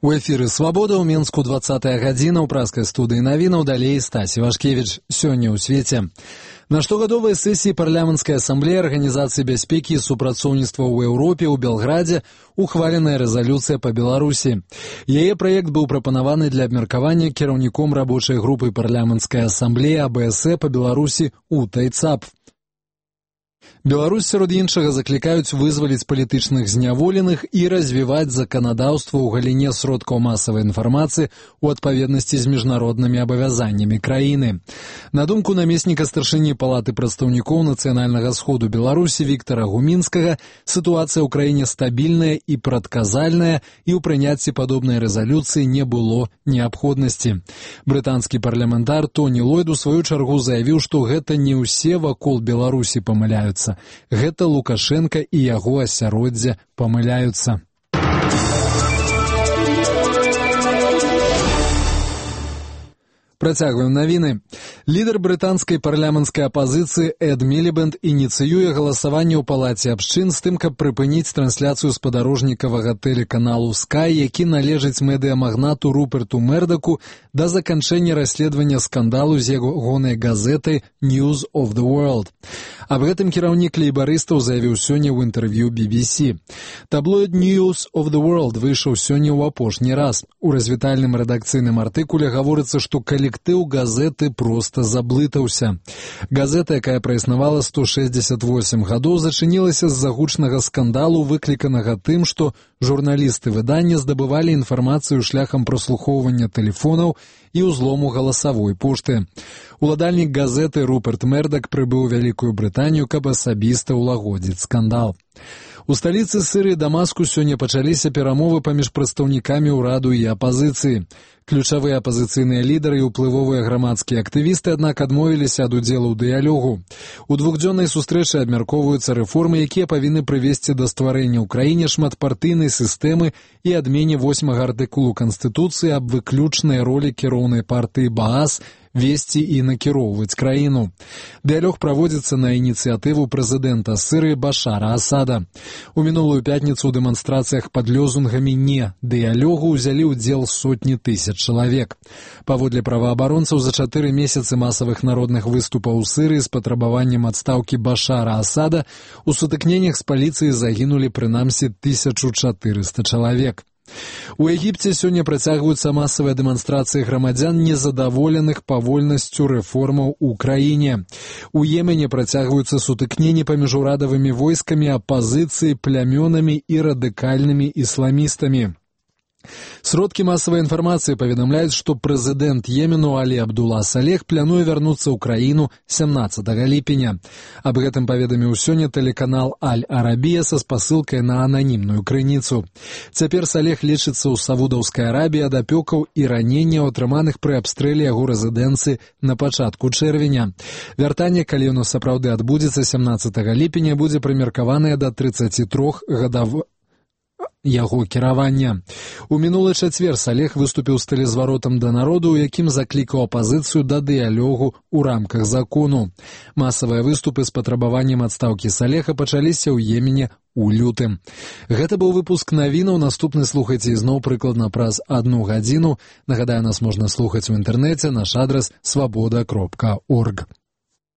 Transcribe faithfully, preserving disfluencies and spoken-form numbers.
У эфіры «Свабода» ў Менску двадцатая гадзіна ў праскай студыі навінаў, далей Стась Івашкевіч. Сёння ў свеце. На штогадовай сесіі парламенцкай асамблеі Арганізацыі бяспекі і супрацоўніцтва ў Еўропе ў Белградзе ухваленая рэзалюцыя па Беларусі. Яе праект быў прапанаваны для абмеркавання кіраўніком рабочай групы парламенцкай асамблеі А Бэ Эс Э па Беларусі Утай Цап. Беларусь, сярод іншага, заклікаюць вызваліць палітычных зняволеных і развіваць заканадаўства ў галіне сродкаў масавай інфармацыі ў адпаведнасці з міжнароднымі абавязаннямі краіны. На думку намесніка старшыні Палаты прадстаўнікоў нацыянальнага сходу Беларусі Віктара Гумінскага, сітуацыя ў краіне стабільная і прадказальная, і ў прыняцці падобнай рэзалюцыі не было неабходнасці. Брытанскі парламентар Тоні Ллойд у сваю чаргу заявіў, што гэта не ўсе вакол Беларусі памыляюцца. Гэта Лукашенка і яго асяроддзе памыляюцца. Працягваем навіны. Лідар брытанскай парламенцкай апазіцыі Эд Мілібэнд ініцыюе галасаванне ў палаце абшчын з тым, каб прыпыніць трансляцыю спадарожнікавага тэлеканалу Скай, які належыць медыямагнату Руперту Мердаку, да заканчэння расследавання скандалу з ягонай газетай News of the World. Аб гэтым кіраўнік лейбарыстаў заявіў сёння ў інтэрв'ю Би Би Си. Таблоід News of the World выйшаў сёння ў апошні раз. У развітальным рэдакцыйным артыкуле гаворыцца, што калектыў газеты проста заблытаўся. Газета, якая праіснавала сто шэсцьдзесят восем гадоў, зачынілася з-за гучнага скандалу, выкліканага тым, што журналісты выдання здабывалі інфармацыю шляхам праслухоўвання тэлефонаў і ўзлому галасавой пошты. Уладальнік газеты Руперт Мердак прыбыў у Вялікую Брытанію, каб асабіста ўлагодзіць скандал. У сталіцы Сірыі Дамаску сёння пачаліся перамовы паміж прадстаўнікамі ўраду і апазіцыі. Ключавыя апазіцыйныя лідары і ўплывовыя грамадскія актывісты, аднак, адмовіліся ад удзелу ў дыялогу. У двухдзённай сустрэчы абмяркоўваюцца рэформы, якія павінны прывесці да стварэння ў краіне шматпартыйнай сістэмы і адмене восьмага артыкулу Канстытуцыі аб выключнай ролі кіроўнай партыі Баас весці і накіроўваць краіну. Дыялог праводзіцца на ініцыятыву прэзідэнта Сірыі Башара Асада. У мінулую пятніцу ў дэманстрацыях пад лёзунгамі «Не дыялогу» узялі ўдзел сотні тысяч чалавек. Паводле праваабаронцаў, за чатыры месяцы масавых народных выступаў у Сірыі з патрабаваннем адстаўкі Башара Асада у сутыкненнях з паліцыяй загінулі прынамсі тысячу чатырыста чалавек. У Егіпце сёння працягваюцца масавыя дэманстрацыі грамадзян, незадаволеных павольнасцю рэформаў у краіне. У Йемене працягваюцца сутыкненні паміж урадавымі войскамі, апазіцыяй, плямёнамі і радыкальнымі ісламістамі. Сродкі масавай інфармацыі паведамляюць, што прэзідэнт Йемену Алі Абдула Салех плануе вярнуцца ў краіну сямнаццатага ліпеня. Аб гэтым паведаміў сёння тэлеканал Аль-Арабія са спасылкай на ананімную крыніцу. Цяпер Салех лічыцца ў Саудаўскай Арабіі ад апёкаў і раненняў, атрыманых пры абстрэле яго рэзідэнцыі на пачатку чэрвеня. Вяртанне, калі яно сапраўды адбудзецца сямнаццатага ліпеня, будзе прымеркаванае да трыццаці трох гадоў яго кіравання. У мінулы чацвер Салех выступіў з тэлезваротам да народу, у якім заклікаў апазіцыю да дыялогу ў рамках закону. Масавыя выступы з патрабаваннем адстаўкі Салеха пачаліся ў Йемене у лютым. Гэта быў выпуск навінаў. Наступны слухайце ізноў прыкладна праз адну гадзіну. Нагадаю, нас можна слухаць у інтэрнэце. Наш адрас свабода кропка орг.